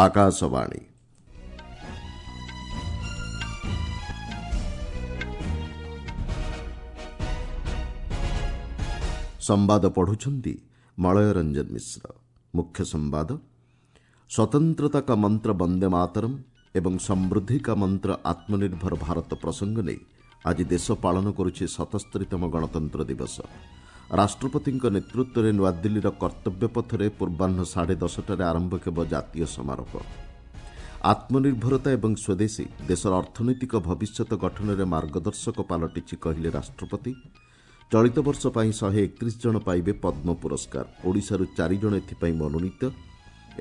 ଆକାଶବାଣୀ। ସମ୍ବାଦ ପଢୁଛନ୍ତି ମଳୟ ରଞ୍ଜନ ମିଶ୍ର। ମୁଖ୍ୟ ସମ୍ବାଦ, ସ୍ୱତନ୍ତ୍ରତା କା ମନ୍ତ୍ର ବନ୍ଦେ ମାତରମ୍ ଏବଂ ସମୃଦ୍ଧି କା ମନ୍ତ୍ର ଆତ୍ମନିର୍ଭର ଭାରତ ପ୍ରସଙ୍ଗ ନେଇ ଆଜି ଦେଶ ପାଳନ କରୁଛି 77ତମ ଗଣତନ୍ତ୍ର ଦିବସ। ରାଷ୍ଟ୍ରପତିଙ୍କ ନେତୃତ୍ୱରେ ନୂଆଦିଲ୍ଲୀର କର୍ତ୍ତବ୍ୟ ପଥରେ ପୂର୍ବାହ୍ନ 10:30ରେ ଆରମ୍ଭ ହେବ ଜାତୀୟ ସମାରୋହ। ଆତ୍ମନିର୍ଭରତା ଏବଂ ସ୍ୱଦେଶୀ ଦେଶର ଅର୍ଥନୈତିକ ଭବିଷ୍ୟତ ଗଠନରେ ମାର୍ଗଦର୍ଶକ ପାଲଟିଛି, କହିଲେ ରାଷ୍ଟ୍ରପତି। ଚଳିତ ବର୍ଷ ପାଇଁ 131 ଜଣ ପାଇବେ ପଦ୍ମ ପୁରସ୍କାର, ଓଡ଼ିଶାରୁ 4 ଜଣ ଏଥିପାଇଁ ମନୋନୀତ।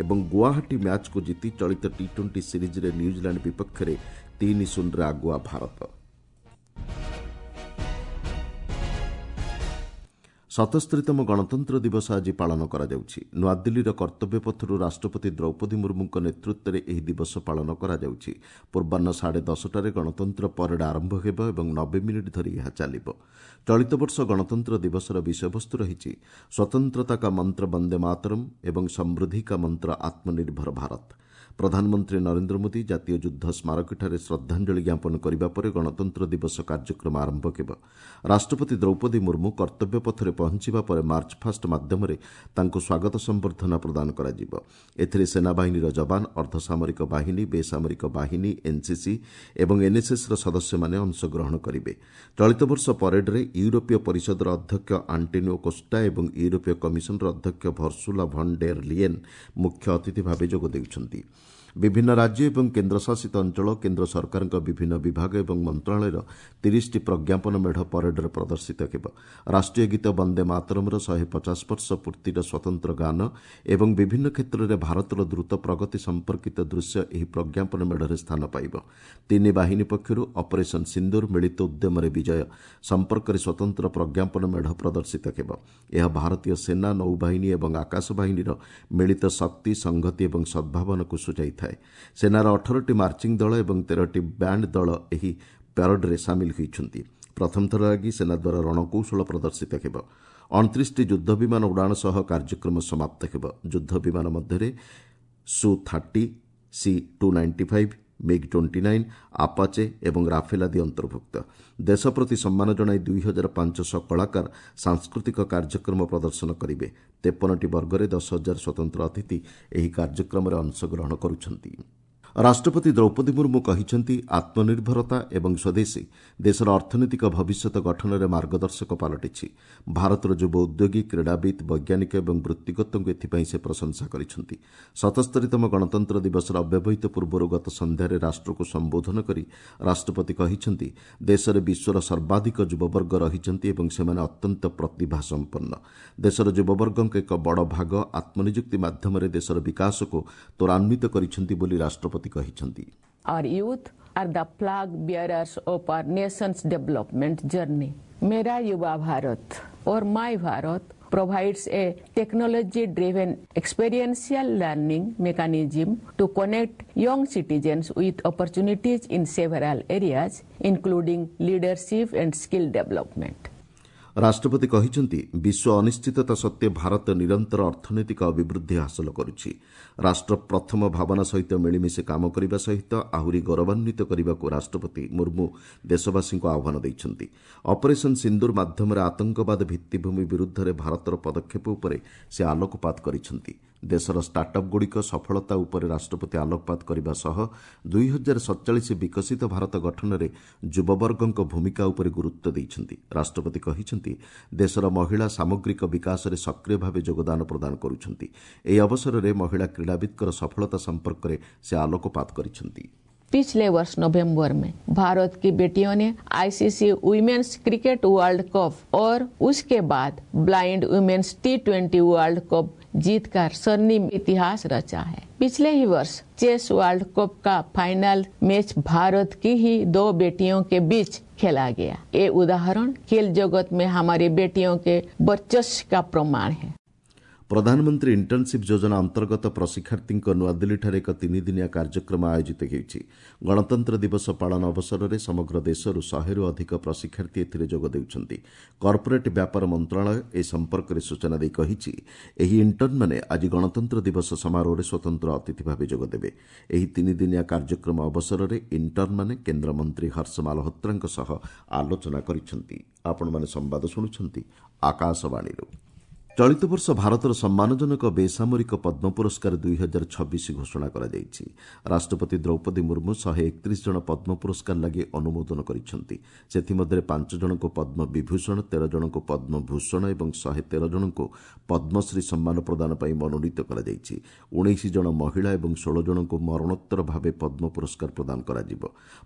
ଏବଂ ଗୁଆହାଟୀ ମ୍ୟାଚ୍କୁ ଜିତି ଚଳିତ ଟି ଟ୍ୱେଣ୍ଟି ସିରିଜ୍ରେ ନ୍ୟୁଜିଲାଣ୍ଡ ବିପକ୍ଷରେ 3-0ରେ ଆଗୁଆ ଭାରତ। 77ତମ ଗଣତନ୍ତ୍ର ଦିବସ ଆଜି ପାଳନ କରାଯାଉଛି। ନୂଆଦିଲ୍ଲୀର କର୍ତ୍ତବ୍ୟ ପଥରୁ ରାଷ୍ଟ୍ରପତି ଦ୍ରୌପଦୀ ମୁର୍ମୁଙ୍କ ନେତୃତ୍ୱରେ ଏହି ଦିବସ ପାଳନ କରାଯାଉଛି। ପୂର୍ବାହ୍ନ 10:30ରେ ଗଣତନ୍ତ୍ର ପରେଡ୍ ଆରମ୍ଭ ହେବ ଏବଂ 90 ମିନିଟ୍ ଧରି ଏହା ଚାଲିବ। ଚଳିତ ବର୍ଷ ଗଣତନ୍ତ୍ର ଦିବସର ବିଷୟବସ୍ତୁ ରହିଛି ସ୍ୱତନ୍ତ୍ରତା କା ମନ୍ତ୍ର ବନ୍ଦେ ମାତରମ୍ ଏବଂ ସମୃଦ୍ଧି କା ମନ୍ତ୍ର ଆତ୍ମନିର୍ଭର ଭାରତ। ପ୍ରଧାନମନ୍ତ୍ରୀ ନରେନ୍ଦ୍ର ମୋଦି ଜାତୀୟ ଯୁଦ୍ଧ ସ୍ମାରକୀଠାରେ ଶ୍ରଦ୍ଧାଞ୍ଜଳି ଜ୍ଞାପନ କରିବା ପରେ ଗଣତନ୍ତ୍ର ଦିବସ କାର୍ଯ୍ୟକ୍ରମ ଆରମ୍ଭ ହେବ। ରାଷ୍ଟ୍ରପତି ଦ୍ରୌପଦୀ ମୁର୍ମୁ କର୍ତ୍ତବ୍ୟ ପଥରେ ପହଞ୍ଚିବା ପରେ ମାର୍ଚ୍ଚଫାଷ୍ଟ ମାଧ୍ୟମରେ ତାଙ୍କୁ ସ୍ୱାଗତ ସମ୍ବର୍ଦ୍ଧନା ପ୍ରଦାନ କରାଯିବ। ଏଥିରେ ସେନାବାହିନୀର ଯବାନ, ଅର୍ଦ୍ଧସାମରିକ ବାହିନୀ, ବେସାମରିକ ବାହିନୀ, ଏନ୍ସିସି ଏବଂ ଏନ୍ଏସ୍ଏସ୍ର ସଦସ୍ୟମାନେ ଅଂଶଗ୍ରହଣ କରିବେ। ଚଳିତ ବର୍ଷ ପରେଡ୍ରେ ୟୁରୋପୀୟ ପରିଷଦର ଅଧ୍ୟକ୍ଷ ଆଣ୍ଟୋନିଓ କୋଷ୍ଟା ଏବଂ ୟୁରୋପୀୟ କମିଶନର ଅଧ୍ୟକ୍ଷ ଭର୍ସୁଲା ଭନ୍ ଡେର୍ ଲିଏନ୍ ମୁଖ୍ୟ ଅତିଥି ଭାବେ ଯୋଗ ଦେଉଛନ୍ତି। ବିଭିନ୍ନ ରାଜ୍ୟ ଏବଂ କେନ୍ଦ୍ରଶାସିତ ଅଞ୍ଚଳ, କେନ୍ଦ୍ର ସରକାରଙ୍କ ବିଭିନ୍ନ ବିଭାଗ ଏବଂ ମନ୍ତ୍ରଣାଳୟର 30ଟି ପ୍ରଜ୍ଞାପନ ମେଢ଼ ପରେଡ୍ରେ ପ୍ରଦର୍ଶିତ ହେବ। ରାଷ୍ଟ୍ରୀୟ ଗୀତ ବନ୍ଦେ ମାତରମ୍ର 150 ବର୍ଷ ପୂର୍ତ୍ତିର ସ୍ୱତନ୍ତ୍ର ଗାନ ଏବଂ ବିଭିନ୍ନ କ୍ଷେତ୍ରରେ ଭାରତର ଦ୍ରୁତ ପ୍ରଗତି ସମ୍ପର୍କିତ ଦୃଶ୍ୟ ଏହି ପ୍ରଜ୍ଞାପନ ମେଢ଼ରେ ସ୍ଥାନ ପାଇବ। ତିନି ବାହିନୀ ପକ୍ଷରୁ ଅପରେସନ୍ ସିନ୍ଦୁର ମିଳିତ ଉଦ୍ୟମରେ ବିଜୟ ସମ୍ପର୍କରେ ସ୍ୱତନ୍ତ୍ର ପ୍ରଜ୍ଞାପନ ମେଢ଼ ପ୍ରଦର୍ଶିତ ହେବ। ଏହା ଭାରତୀୟ ସେନା, ନୌବାହିନୀ ଏବଂ ଆକାଶ ବାହିନୀର ମିଳିତ ଶକ୍ତି, ସଂହତି ଏବଂ ସଦ୍ଭାବନାକୁ ସୂଚାଇଥାଏ। ସେନାର 18ଟି ମାର୍ଚିଂ ଦଳ ଏବଂ 13ଟି ବ୍ୟାଣ୍ଡ ଦଳ ଏହି ପ୍ୟାରେଡ୍ରେ ସାମିଲ ହୋଇଛନ୍ତି। ପ୍ରଥମ ଥର ଲାଗି ସେନା ଦ୍ୱାରା ରଣକୌଶଳ ପ୍ରଦର୍ଶିତ ହେବ। 29ଟି ଯୁଦ୍ଧ ବିମାନ ଉଡ଼ାଣ ସହ କାର୍ଯ୍ୟକ୍ରମ ସମାପ୍ତ ହେବ। ଯୁଦ୍ଧ ବିମାନ ମଧ୍ୟରେ Su 30, C 295, MiG 29, Apache ଏବଂ ରାଫେଲ ଆଦି ଅନ୍ତର୍ଭୁକ୍ତ। ଦେଶ ପ୍ରତି ସମ୍ମାନ ଜଣାଇ 2500 କଳାକାର ସାଂସ୍କୃତିକ କାର୍ଯ୍ୟକ୍ରମ ପ୍ରଦର୍ଶନ କରିବେ। 53ଟି ବର୍ଗରେ 10,000 ସ୍ୱତନ୍ତ୍ର ଅତିଥି ଏହି କାର୍ଯ୍ୟକ୍ରମରେ ଅଂଶଗ୍ରହଣ କରୁଛନ୍ତି। ରାଷ୍ଟ୍ରପତି ଦ୍ରୌପଦୀ ମୁର୍ମୁ କହିଛନ୍ତି, ଆତ୍ମନିର୍ଭରତା ଏବଂ ସ୍ୱଦେଶୀ ଦେଶର ଅର୍ଥନୈତିକ ଭବିଷ୍ୟତ ଗଠନରେ ମାର୍ଗଦର୍ଶକ ପାଲଟିଛି। ଭାରତର ଯୁବ ଉଦ୍ୟୋଗୀ, କ୍ରୀଡ଼ାବିତ୍, ବୈଜ୍ଞାନିକ ଏବଂ ବୃତ୍ତିଗତଙ୍କୁ ଏଥିପାଇଁ ସେ ପ୍ରଶଂସା କରିଛନ୍ତି। 77ତମ ଗଣତନ୍ତ୍ର ଦିବସର ଅବ୍ୟବହିତ ପୂର୍ବରୁ ଗତ ସନ୍ଧ୍ୟାରେ ରାଷ୍ଟ୍ରକୁ ସମ୍ବୋଧନ କରି ରାଷ୍ଟ୍ରପତି କହିଛନ୍ତି, ଦେଶରେ ବିଶ୍ୱର ସର୍ବାଧିକ ଯୁବବର୍ଗ ରହିଛନ୍ତି ଏବଂ ସେମାନେ ଅତ୍ୟନ୍ତ ପ୍ରତିଭା ସମ୍ପନ୍ନ। ଦେଶର ଯୁବବର୍ଗଙ୍କ ଏକ ବଡ଼ ଭାଗ ଆତ୍ମନିଯୁକ୍ତି ମାଧ୍ୟମରେ ଦେଶର ବିକାଶକୁ ତ୍ୱରାନ୍ୱିତ କରିଛନ୍ତି ବୋଲି ରାଷ୍ଟ୍ରପତି କହିଛନ୍ତି। Our youth are the flag bearers of our nation's development journey. Mera Yuva Bharat or My Bharat provides a technology-driven experiential learning mechanism to connect young citizens with opportunities in several areas, including leadership and skill development. ରାଷ୍ଟ୍ରପତି କହିଛନ୍ତି, ବିଶ୍ୱ ଅନିଶ୍ଚିତତା ସତ୍ତ୍ୱେ ଭାରତ ନିରନ୍ତର ଅର୍ଥନୈତିକ ଅଭିବୃଦ୍ଧି ହାସଲ କରୁଛି। ରାଷ୍ଟ୍ର ପ୍ରଥମ ଭାବନା ସହିତ ମିଳିମିଶି କାମ କରିବା ସହିତ ଆହୁରି ଗୌରବାନ୍ୱିତ କରିବାକୁ ରାଷ୍ଟ୍ରପତି ମୁର୍ମୁ ଦେଶବାସୀଙ୍କୁ ଆହ୍ୱାନ ଦେଇଛନ୍ତି। ଅପରେସନ୍ ସିନ୍ଦୁର ମାଧ୍ୟମରେ ଆତଙ୍କବାଦ ଭିତ୍ତିଭୂମି ବିରୁଦ୍ଧରେ ଭାରତର ପଦକ୍ଷେପ ଉପରେ ସେ ଆଲୋକପାତ କରିଛନ୍ତି। ଦେଶର ଷ୍ଟାର୍ଟଅପ୍ଗୁଡ଼ିକ ସଫଳତା ଉପରେ ରାଷ୍ଟ୍ରପତି ଆଲୋକପାତ କରିବା ସହ 2047 ବିକଶିତ ଭାରତ ଗଠନରେ ଯୁବବର୍ଗଙ୍କ ଭୂମିକା ଉପରେ ଗୁରୁତ୍ୱ ଦେଇଛନ୍ତି। ରାଷ୍ଟ୍ରପତି କହିଛନ୍ତି, ଦେଶର ମହିଳା ସାମଗ୍ରିକ ବିକାଶରେ ସକ୍ରିୟ ଭାବେ ଯୋଗଦାନ ପ୍ରଦାନ କରୁଛନ୍ତି। ଏହି ଅବସରରେ ମହିଳା କ୍ରୀଡ଼ାବିତ୍ଙ୍କର ସଫଳତା ସମ୍ପର୍କରେ ସେ ଆଲୋକପାତ କରିଛନ୍ତି। पिछले वर्ष नवंबर में भारत की बेटियों ने ICC women's cricket world cup और उसके बाद ब्लाइंड वुमेन्स टी20 वर्ल्ड कप जीतकर स्वर्णिम इतिहास रचा है। पिछले ही वर्ष चेस वर्ल्ड कप का फाइनल मैच भारत की ही 2 बेटियों के बीच खेला गया। ये उदाहरण खेल जगत में हमारी बेटियों के वर्चस्व का प्रमाण है। ପ୍ରଧାନମନ୍ତ୍ରୀ ଇଣ୍ଟର୍ଣ୍ଣସିପ୍ ଯୋଜନା ଅନ୍ତର୍ଗତ ପ୍ରଶିକ୍ଷାର୍ଥୀଙ୍କ ନୂଆଦିଲ୍ଲୀଠାରେ ଏକ ତିନିଦିନିଆ କାର୍ଯ୍ୟକ୍ରମ ଆୟୋଜିତ ହେଉଛି। ଗଣତନ୍ତ୍ର ଦିବସ ପାଳନ ଅବସରରେ ସମଗ୍ର ଦେଶରୁ 100ରୁ ଅଧିକ ପ୍ରଶିକ୍ଷାର୍ଥୀ ଏଥିରେ ଯୋଗ ଦେଉଛନ୍ତି। କର୍ପୋରେଟ୍ ବ୍ୟାପାର ମନ୍ତ୍ରଣାଳୟ ଏ ସମ୍ପର୍କରେ ସୂଚନା ଦେଇ କହିଛି, ଏହି ଇଣ୍ଟର୍ଣ୍ଣମାନେ ଆଜି ଗଣତନ୍ତ୍ର ଦିବସ ସମାରୋହରେ ସ୍ୱତନ୍ତ୍ର ଅତିଥି ଭାବେ ଯୋଗଦେବେ। ଏହି ତିନିଦିନିଆ କାର୍ଯ୍ୟକ୍ରମ ଅବସରରେ ଇଣ୍ଟର୍ଣ୍ଣମାନେ କେନ୍ଦ୍ରମନ୍ତ୍ରୀ ହର୍ଷ ମାଲହୋତ୍ରାଙ୍କ ସହ ଆଲୋଚନା କରିଛନ୍ତି। ଆପଣମାନେ ସମ୍ବାଦ ଶୁଣୁଛନ୍ତି ଆକାଶବାଣୀରୁ। ଚଳିତ ବର୍ଷ ଭାରତର ସମ୍ମାନଜନକ ବେସାମରିକ ପଦ୍ମ ପୁରସ୍କାର 2026 ଘୋଷଣା କରାଯାଇଛି। ରାଷ୍ଟ୍ରପତି ଦ୍ରୌପଦୀ ମୁର୍ମୁ 131 ଜଣ ପଦ୍ମ ପୁରସ୍କାର ଲାଗି ଅନୁମୋଦନ କରିଛନ୍ତି। ସେଥିମଧ୍ୟରେ 5 ଜଣଙ୍କୁ ପଦ୍ମ ବିଭୂଷଣ, 13 ଜଣଙ୍କୁ ପଦ୍ମଭୂଷଣ ଏବଂ 113 ଜଣଙ୍କୁ ପଦ୍ମଶ୍ରୀ ସମ୍ମାନ ପ୍ରଦାନ ପାଇଁ ମନୋନୀତ କରାଯାଇଛି। 19 ଜଣ ମହିଳା ଏବଂ 16 ଜଣଙ୍କୁ ମରଣୋତ୍ତର ଭାବେ ପଦ୍ମ ପୁରସ୍କାର ପ୍ରଦାନ କରାଯିବ।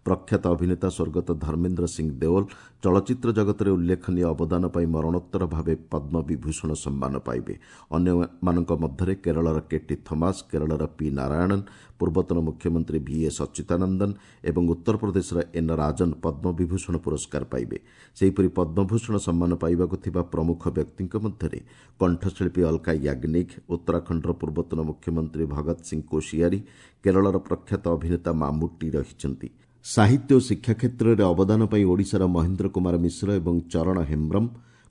ପ୍ରଖ୍ୟାତ ଅଭିନେତା ସ୍ୱର୍ଗତ ଧର୍ମେନ୍ଦ୍ର ସିଂ ଦେଓଲ ଚଳଚ୍ଚିତ୍ର ଜଗତରେ ଉଲ୍ଲେଖନୀୟ ଅବଦାନ ପାଇଁ ମରଣୋତ୍ତର ଭାବେ ପଦ୍ମ ବିଭୂଷଣ ସମ୍ମାନ ପାଇବେ। ଅନ୍ୟମାନଙ୍କ ମଧ୍ୟରେ କେରଳର କେଟି ଥମାସ, କେରଳର ପି ନାରାୟଣନ୍, ପୂର୍ବତନ ମୁଖ୍ୟମନ୍ତ୍ରୀ ଭି ଏ ସଚ୍ଚିଦାନନ୍ଦନ ଏବଂ ଉତ୍ତରପ୍ରଦେଶର ଏନ୍ ରାଜନ ପଦ୍ମବିଭୂଷଣ ପୁରସ୍କାର ପାଇବେ। ସେହିପରି ପଦ୍ମଭୂଷଣ ସମ୍ମାନ ପାଇବାକୁ ଥିବା ପ୍ରମୁଖ ବ୍ୟକ୍ତିଙ୍କ ମଧ୍ୟରେ କଣ୍ଠଶିଳ୍ପୀ ଅଲକା ୟାଗ୍ନିକ, ଉତ୍ତରାଖଣ୍ଡର ପୂର୍ବତନ ମୁଖ୍ୟମନ୍ତ୍ରୀ ଭଗତ ସିଂ କୋଶିୟାରୀ, କେରଳର ପ୍ରଖ୍ୟାତ ଅଭିନେତା ମାମୁଟ୍ଟି ରହିଛନ୍ତି। ସାହିତ୍ୟ ଓ ଶିକ୍ଷା କ୍ଷେତ୍ରରେ ଅବଦାନ ପାଇଁ ଓଡ଼ିଶାର ମହେନ୍ଦ୍ର କୁମାର ମିଶ୍ର ଏବଂ ଚରଣ ହେମ୍ବ୍ରମ,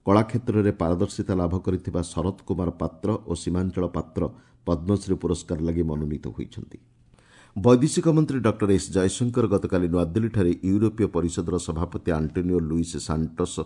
କଳା କ୍ଷେତ୍ରରେ ପାରଦର୍ଶିତା ଲାଭ କରିଥିବା ଶରତ କୁମାର ପାତ୍ର ଓ ସୀମାଞ୍ଚଳ ପାତ୍ର ପଦ୍ମଶ୍ରୀ ପୁରସ୍କାର ଲାଗି ମନୋନୀତ ହୋଇଛନ୍ତି। ବୈଦେଶିକ ମନ୍ତ୍ରୀ ଡକ୍ଟର ଏସ୍ ଜୟଶଙ୍କର ଗତକାଲି ନୂଆଦିଲ୍ଲୀଠାରେ ୟୁରୋପୀୟ ପରିଷଦର ସଭାପତି ଆଣ୍ଟୋନିଓ ଲୁଇସ୍ ସାଣ୍ଟୋସ୍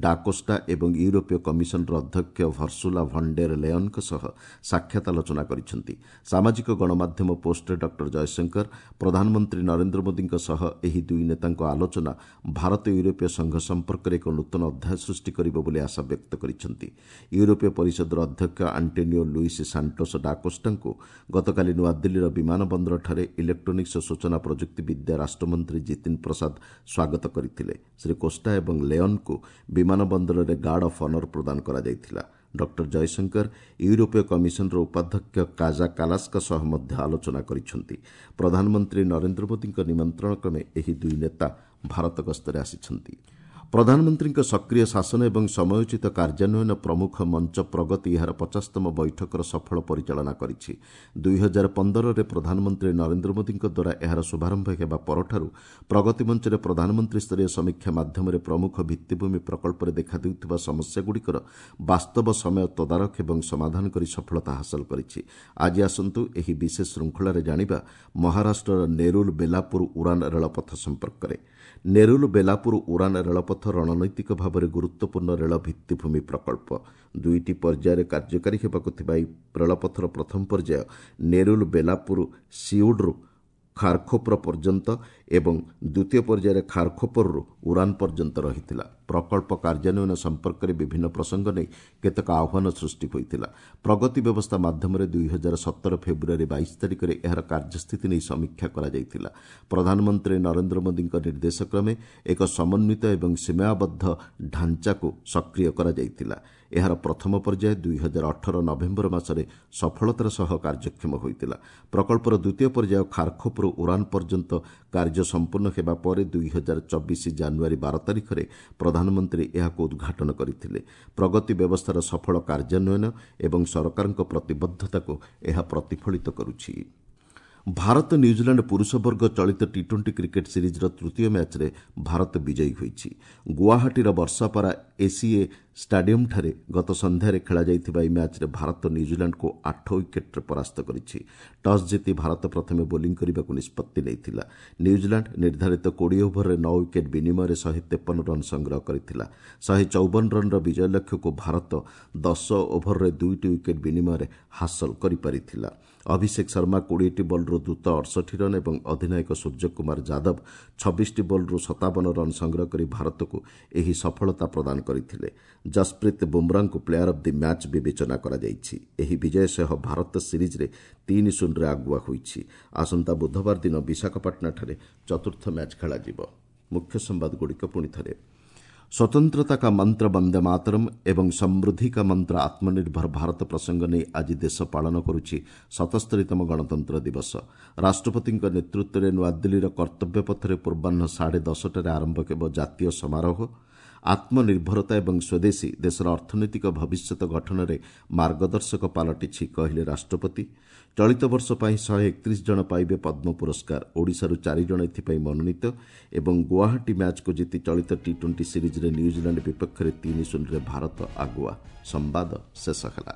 ଡାକୋଷ୍ଟା ଏବଂ ୟୁରୋପୀୟ କମିଶନର ଅଧ୍ୟକ୍ଷ ଭର୍ସୁଲା ଭଣ୍ଡେର ଲେଅନ୍ଙ୍କ ସହ ସାକ୍ଷାତ ଆଲୋଚନା କରିଛନ୍ତି। ସାମାଜିକ ଗଣମାଧ୍ୟମ ପୋଷ୍ଟରେ ଡକ୍ଟର ଜୟଶଙ୍କର ପ୍ରଧାନମନ୍ତ୍ରୀ ନରେନ୍ଦ୍ର ମୋଦିଙ୍କ ସହ ଏହି ଦୁଇ ନେତାଙ୍କ ଆଲୋଚନା ଭାରତ ୟୁରୋପୀୟ ସଂଘ ସମ୍ପର୍କରେ ଏକ ନୂତନ ଅଧ୍ୟାୟ ସୃଷ୍ଟି କରିବ ବୋଲି ଆଶା ବ୍ୟକ୍ତ କରିଛନ୍ତି। ୟୁରୋପୀୟ ପରିଷଦର ଅଧ୍ୟକ୍ଷ ଆଣ୍ଟୋନିଓ ଲୁଇସ୍ ସାଣ୍ଟୋସ୍ ଡାକୋଷ୍ଟାଙ୍କୁ ଗତକାଲି ନୂଆଦିଲ୍ଲୀର ବିମାନ ବନ୍ଦରଠାରେ ଇଲେକ୍ଟ୍ରୋନିକ୍ସ ଓ ସୂଚନା ପ୍ରଯୁକ୍ତି ବିଦ୍ୟା ରାଷ୍ଟ୍ରମନ୍ତ୍ରୀ ଜିତିନ ପ୍ରସାଦ ସ୍ୱାଗତ କରିଥିଲେ। ଶ୍ରୀ କୋଷ୍ଟା ଏବଂ ଲେଅନ୍ଙ୍କୁ ବିମାନ ବନ୍ଦରରେ ଗାର୍ଡ ଅଫ୍ ଅନର ପ୍ରଦାନ କରାଯାଇଥିଲା। ଡକ୍ଟର ଜୟଶଙ୍କର ୟୁରୋପୀୟ କମିଶନର ଉପାଧ୍ୟକ୍ଷ କାଜା କାଲାସଙ୍କ ସହ ମଧ୍ୟ ଆଲୋଚନା କରିଛନ୍ତି। ପ୍ରଧାନମନ୍ତ୍ରୀ ନରେନ୍ଦ୍ର ମୋଦିଙ୍କ ନିମନ୍ତ୍ରଣ କ୍ରମେ ଏହି ଦୁଇ ନେତା ଭାରତ ଗସ୍ତରେ ଆସିଛନ୍ତି। ପ୍ରଧାନମନ୍ତ୍ରୀଙ୍କ ସକ୍ରିୟ ଶାସନ ଏବଂ ସମୟୋଚିତ କାର୍ଯ୍ୟାନ୍ୱୟନ ପ୍ରମୁଖ ମଞ୍ଚ ପ୍ରଗତି ଏହାର 50ତମ ବୈଠକର ସଫଳ ପରିଚାଳନା କରିଛି। 2015ରେ ପ୍ରଧାନମନ୍ତ୍ରୀ ନରେନ୍ଦ୍ର ମୋଦିଙ୍କ ଦ୍ୱାରା ଏହାର ଶୁଭାରମ୍ଭ ହେବା ପରଠାରୁ ପ୍ରଗତି ମଞ୍ଚରେ ପ୍ରଧାନମନ୍ତ୍ରୀ ସ୍ତରୀୟ ସମୀକ୍ଷା ମାଧ୍ୟମରେ ପ୍ରମୁଖ ଭିତ୍ତିଭୂମି ପ୍ରକଳ୍ପରେ ଦେଖାଦେଉଥିବା ସମସ୍ୟାଗୁଡ଼ିକର ବାସ୍ତବ ସମୟ ତଦାରଖ ଏବଂ ସମାଧାନ କରି ସଫଳତା ହାସଲ କରିଛି। ଆଜି ଆସନ୍ତୁ ଏହି ବିଶେଷ ଶୃଙ୍ଖଳାରେ ଜାଣିବା ମହାରାଷ୍ଟ୍ରର ନେରୁଲ ବେଲାପୁର ଉରାନ ରେଳପଥ ସମ୍ପର୍କରେ। ନେରୁଲ ବେଲାପୁର ଉରାନ ରେଳପଥ ରଣନୈତିକ ଭାବରେ ଗୁରୁତ୍ୱପୂର୍ଣ୍ଣ ରେଳ ଭିତ୍ତିଭୂମି ପ୍ରକଳ୍ପ। ଦୁଇଟି ପର୍ଯ୍ୟାୟରେ କାର୍ଯ୍ୟକାରୀ ହେବାକୁ ଥିବା ଏହି ରେଳପଥର ପ୍ରଥମ ପର୍ଯ୍ୟାୟ ନେରୁଲ ବେଲାପୁର ସିଉଡ୍ରୁ ଖାରଖୋପର ପର୍ଯ୍ୟନ୍ତ ଏବଂ ଦ୍ୱିତୀୟ ପର୍ଯ୍ୟାୟରେ ଖାରଖୋପରରୁ ଉରାନ ପର୍ଯ୍ୟନ୍ତ ରହିଥିଲା। ପ୍ରକଳ୍ପ କାର୍ଯ୍ୟାନ୍ୱୟନ ସମ୍ପର୍କରେ ବିଭିନ୍ନ ପ୍ରସଙ୍ଗ ନେଇ କେତେକ ଆହ୍ୱାନ ସୃଷ୍ଟି ହୋଇଥିଲା। ପ୍ରଗତି ବ୍ୟବସ୍ଥା ମାଧ୍ୟମରେ 2017 ଫେବୃଆରୀ 22 ତାରିଖରେ ଏହାର କାର୍ଯ୍ୟସ୍ଥିତି ନେଇ ସମୀକ୍ଷା କରାଯାଇଥିଲା। ପ୍ରଧାନମନ୍ତ୍ରୀ ନରେନ୍ଦ୍ର ମୋଦିଙ୍କ ନିର୍ଦ୍ଦେଶକ୍ରମେ ଏକ ସମନ୍ୱିତ ଏବଂ ସୀମାବଦ୍ଧ ଢାଞ୍ଚାକୁ ସକ୍ରିୟ କରାଯାଇଥିଲା। ଏହାର ପ୍ରଥମ ପର୍ଯ୍ୟାୟ 2018 ନଭେମ୍ବର ମାସରେ ସଫଳତାର ସହ କାର୍ଯ୍ୟକ୍ଷମ ହୋଇଥିଲା। ପ୍ରକଳ୍ପର ଦ୍ୱିତୀୟ ପର୍ଯ୍ୟାୟ ଖାରଖୋପରୁ ଉରାନ ପର୍ଯ୍ୟନ୍ତ କାର୍ଯ୍ୟ ସମ୍ପୂର୍ଣ୍ଣ ହେବା ପରେ 2024 ଜାନୁଆରୀ 12 ତାରିଖରେ ପ୍ରଧାନମନ୍ତ୍ରୀ ଏହାକୁ ଉଦ୍ଘାଟନ କରିଥିଲେ। ପ୍ରଗତି ବ୍ୟବସ୍ଥାର ସଫଳ କାର୍ଯ୍ୟାନ୍ୱୟନ ଏବଂ ସରକାରଙ୍କ ପ୍ରତିବଦ୍ଧତାକୁ ଏହା ପ୍ରତିଫଳିତ କରୁଛି। ଭାରତ ନ୍ୟୁଜିଲାଣ୍ଡ ପୁରୁଷ ବର୍ଗ ଚଳିତ ଟି-20 କ୍ରିକେଟ୍ ସିରିଜ୍ର ତୃତୀୟ ମ୍ୟାଚ୍ରେ ଭାରତ ବିଜୟୀ ହୋଇଛି। ଗୁଆହାଟୀର ବର୍ଷାପାରା ଏସିଏ ଷ୍ଟାଡିୟମ୍ଠାରେ ଗତ ସନ୍ଧ୍ୟାରେ ଖେଳାଯାଇଥିବା ଏହି ମ୍ୟାଚ୍ରେ ଭାରତ ନ୍ୟୁଜିଲାଣ୍ଡକୁ 8 ୱିକେଟ୍ରେ ପରାସ୍ତ କରିଛି। ଟସ୍ ଜିତି ଭାରତ ପ୍ରଥମେ ବୋଲିଂ କରିବାକୁ ନିଷ୍ପତ୍ତି ନେଇଥିଲା। ନ୍ୟୁଜିଲାଣ୍ଡ ନିର୍ଦ୍ଧାରିତ 20 ଓଭରରେ 9 ୱିକେଟ୍ ବିନିମୟରେ 153 ରନ୍ ସଂଗ୍ରହ କରିଥିଲା। 154 ରନ୍ର ବିଜୟ ଲକ୍ଷ୍ୟକୁ ଭାରତ 10 ଓଭରରେ 2ଟି ୱିକେଟ୍ ବିନିମୟରେ ହାସଲ କରିପାରିଥିଲା। ଅଭିଷେକ ଶର୍ମା 20ଟି ବଲ୍ରୁ ଦ୍ରୁତ 68 ରନ୍ ଏବଂ ଅଧିନାୟକ ସୂର୍ଯ୍ୟକୁମାର ଯାଦବ 26ଟି ବଲ୍ରୁ 57 ରନ୍ ସଂଗ୍ରହ କରି ଭାରତକୁ ଏହି ସଫଳତା ପ୍ରଦାନ କରିଥିଲେ। ଜସପ୍ରୀତ ବୁମ୍ରାଙ୍କୁ ପ୍ଲେୟାର ଅଫ୍ the match ବିବେଚନା କରାଯାଇଛି। ଏହି ବିଜୟ ସହ ଭାରତ ସିରିଜ୍ରେ 3-0ରେ ଆଗୁଆ ହୋଇଛି। ଆସନ୍ତା ବୁଧବାର ଦିନ ବିଶାଖାପାଟଣାଠାରେ ଚତୁର୍ଥ ମ୍ୟାଚ୍ ଖେଳାଯିବ। ମୁଖ୍ୟ ସମ୍ବାଦଗୁଡ଼ିକ ପୁଣି ଥରେ। ସ୍ୱତନ୍ତ୍ରତା କା ମନ୍ତ୍ର ବନ୍ଦେ ମାତରମ୍ ଏବଂ ସମୃଦ୍ଧି କା ମନ୍ତ୍ର ଆତ୍ମନିର୍ଭର ଭାରତ ପ୍ରସଙ୍ଗ ନେଇ ଆଜି ଦେଶ ପାଳନ କରୁଛି 77ତମ ଗଣତନ୍ତ୍ର ଦିବସ। ରାଷ୍ଟ୍ରପତିଙ୍କ ନେତୃତ୍ୱରେ ନୂଆଦିଲ୍ଲୀର କର୍ତ୍ତବ୍ୟ ପଥରେ ପୂର୍ବାହ୍ନ 10:30ରେ ଆରମ୍ଭ ହେବ ଜାତୀୟ ସମାରୋହ। ଆତ୍ମନିର୍ଭରତା ଏବଂ ସ୍ୱଦେଶୀ ଦେଶର ଅର୍ଥନୈତିକ ଭବିଷ୍ୟତ ଗଠନରେ ମାର୍ଗଦର୍ଶକ ପାଲଟିଛି, କହିଲେ ରାଷ୍ଟ୍ରପତି। ଚଳିତ ବର୍ଷ ପାଇଁ 131 ଜଣ ପାଇବେ ପଦ୍ମ ପୁରସ୍କାର, ଓଡ଼ିଶାରୁ 4 ଜଣ ଏଥିପାଇଁ ମନୋନୀତ। ଏବଂ ଗୁଆହାଟୀ ମ୍ୟାଚ୍କୁ ଜିତି ଚଳିତ ଟି 20 ସିରିଜ୍ରେ ନ୍ୟୁଜିଲାଣ୍ଡ ବିପକ୍ଷରେ 3-0ରେ ଭାରତ ଆଗୁଆ। ସମ୍ବାଦ ଶେଷ ହେଲା।